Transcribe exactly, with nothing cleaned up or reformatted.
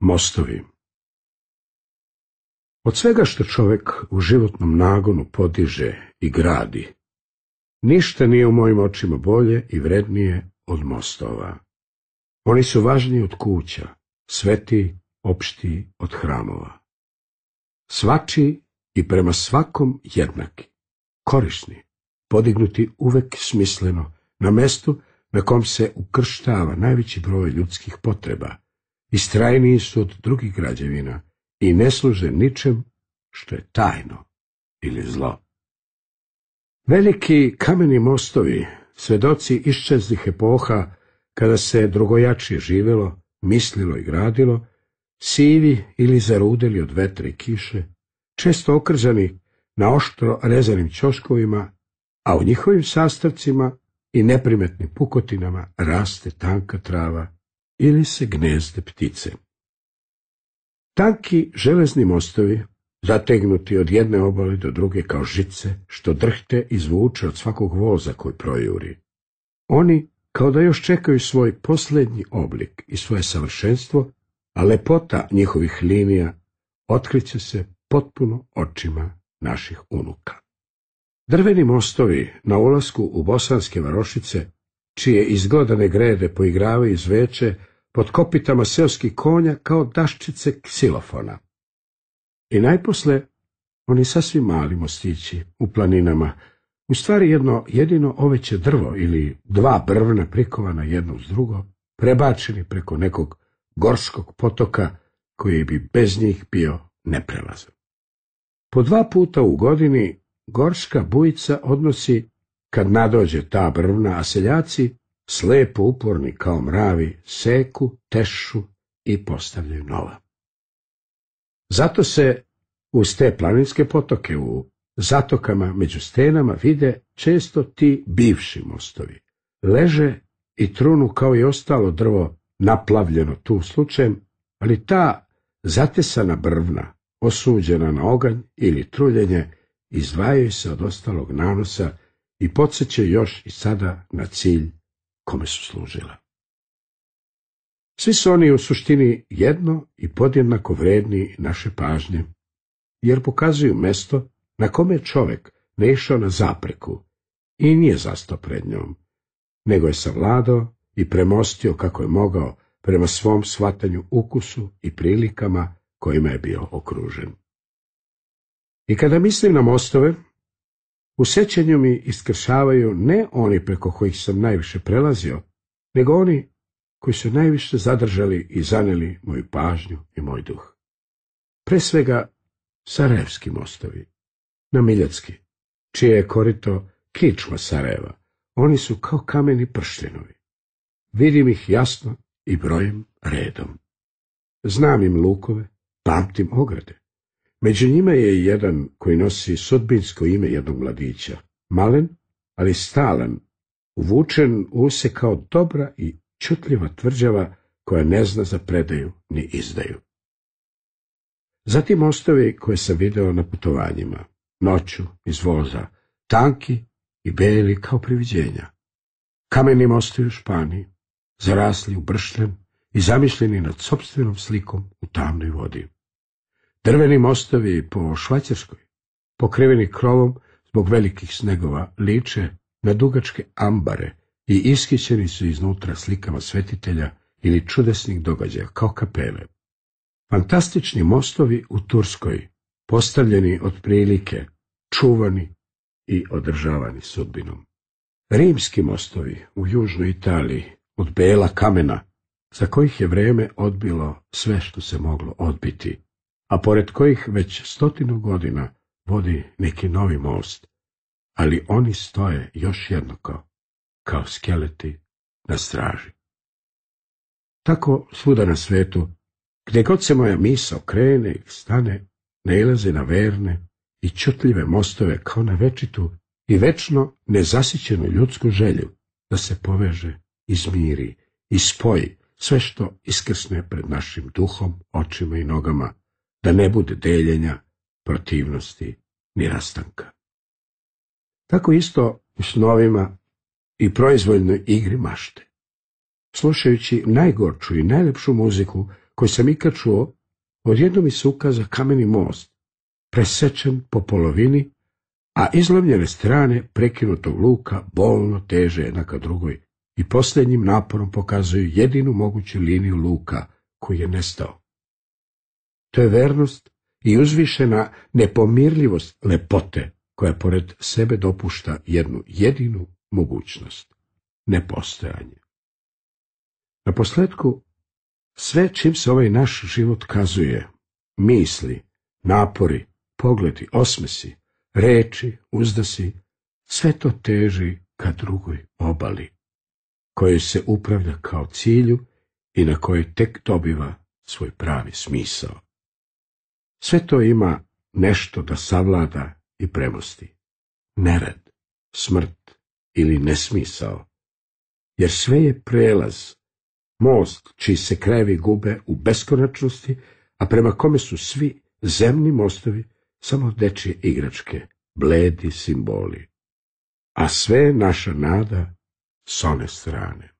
Mostovi. Od svega što čovjek u životnom nagonu podiže i gradi, ništa nije u mojim očima bolje i vrednije od mostova. Oni su važniji od kuća, svetiji, opštiji od hramova. Svačiji i prema svakom jednaki, korisni, podignuti uvek smisleno, na mestu na kom se ukrštava najveći broj ljudskih potreba, istrajniji su od drugih građevina i ne služe ničem što je tajno ili zlo. Veliki kameni mostovi, svedoci iščezlih epoha, kada se drugojačije živelo, mislilo i gradilo, sivi ili zarudeli od vetra i kiše, često okržani na oštro rezanim ćoškovima, a u njihovim sastavcima i neprimetnim pukotinama raste tanka trava ili se gnezde ptice. Tanki železni mostovi, zategnuti od jedne obale do druge kao žice, što drhte i zvuče od svakog voza koji projuri. Oni kao da još čekaju svoj posljednji oblik i svoje savršenstvo, a lepota njihovih linija otkriće se potpuno očima naših unuka. Drveni mostovi na ulasku u bosanske varošice, čije izglodane grede poigravaju zveče pod kopitama seoskih konja kao daščice ksilofona. I najposle, oni sasvim mali mostići u planinama, u stvari jedno jedino oveće drvo ili dva brvna prikovana jedno uz drugo, prebačeni preko nekog gorskog potoka koji bi bez njih bio neprelazan. Po dva puta u godini gorska bujica odnosi, kad nadođe ta brvna, a seljaci, slepo uporni kao mravi, seku, tešu i postavljaju nova. Zato se uz te planinske potoke u zatokama među stenama vide često ti bivši mostovi. Leže i trunu kao i ostalo drvo naplavljeno tu slučajem, ali ta zatesana brvna, osuđena na oganj ili truljenje, izdvajaju se od ostalog nanosa i podsjećaju još i sada na cilj kome su služila. Svi su oni u suštini jedno i podjednako vredni naše pažnje, jer pokazuju mesto na kome je čovjek ne išao na zapreku i nije zastao pred njom, nego je savladao i premostio kako je mogao prema svom shvatanju ukusu i prilikama kojima je bio okružen. I kada mislim na mostove, u sjećanju mi iskršavaju ne oni preko kojih sam najviše prelazio, nego oni koji su najviše zadržali i zaneli moju pažnju i moj duh. Pre svega sarajevski mostovi, na Miljacki, čije je korito kičma Sarajeva. Oni su kao kameni pršljenovi. Vidim ih jasno i brojim redom. Znam im lukove, pamtim ograde. Među njima je i jedan koji nosi sudbinsko ime jednog mladića, malen, ali stalan, uvučen u se kao dobra i čutljiva tvrđava koja ne zna za predaju ni izdaju. Zatim mostovi koje sam video na putovanjima, noću iz voza, tanki i beli kao priviđenja. Kameni mostovi u Španiji, zarasli u bršljen i zamišljeni nad sopstvenom slikom u tamnoj vodi. Drveni mostovi po Švajcarskoj, pokriveni krovom zbog velikih snegova, liče na dugačke ambare i ishićeni su iznutra slikama svetitelja ili čudesnih događaja kao kapele. Fantastični mostovi u Turskoj, postavljeni od prilike, čuvani i održavani sudbinom. Rimski mostovi u južnoj Italiji, od bela kamena, za kojih je vrijeme odbilo sve što se moglo odbiti, a pored kojih već stotinu godina vodi neki novi most, ali oni stoje još jednako, kao skeleti na straži. Tako svuda na svetu, gdje god se moja misao krene i stane, nailaze na verne i čutljive mostove kao na večitu i večno nezasićenu ljudsku želju da se poveže, izmiri i spoji sve što iskrsne pred našim duhom, očima i nogama, da ne bude deljenja, protivnosti ni rastanka. Tako isto u snovima i proizvoljnoj igri mašte. Slušajući najgorču i najlepšu muziku koji sam ikad čuo, odjednom mi se ukaza kameni most, presečen po polovini, a izlomljene strane prekinutog luka bolno teže jedna ka drugoj i posljednjim naporom pokazuju jedinu moguću liniju luka koji je nestao. To je vernost i uzvišena nepomirljivost lepote koja pored sebe dopušta jednu jedinu mogućnost, nepostojanje. Naposljetku, sve čim se ovaj naš život kazuje, misli, napori, pogledi, osmesi, reči, uzdasi, sve to teži ka drugoj obali, kojoj se upravlja kao cilju i na kojoj tek dobiva svoj pravi smisao. Sve to ima nešto da savlada i premosti. Nered, smrt ili nesmisao. Jer sve je prelaz, most čiji se krajevi gube u beskonačnosti, a prema kome su svi zemni mostovi samo dečje igračke, bledi simboli. A sve je naša nada s one strane.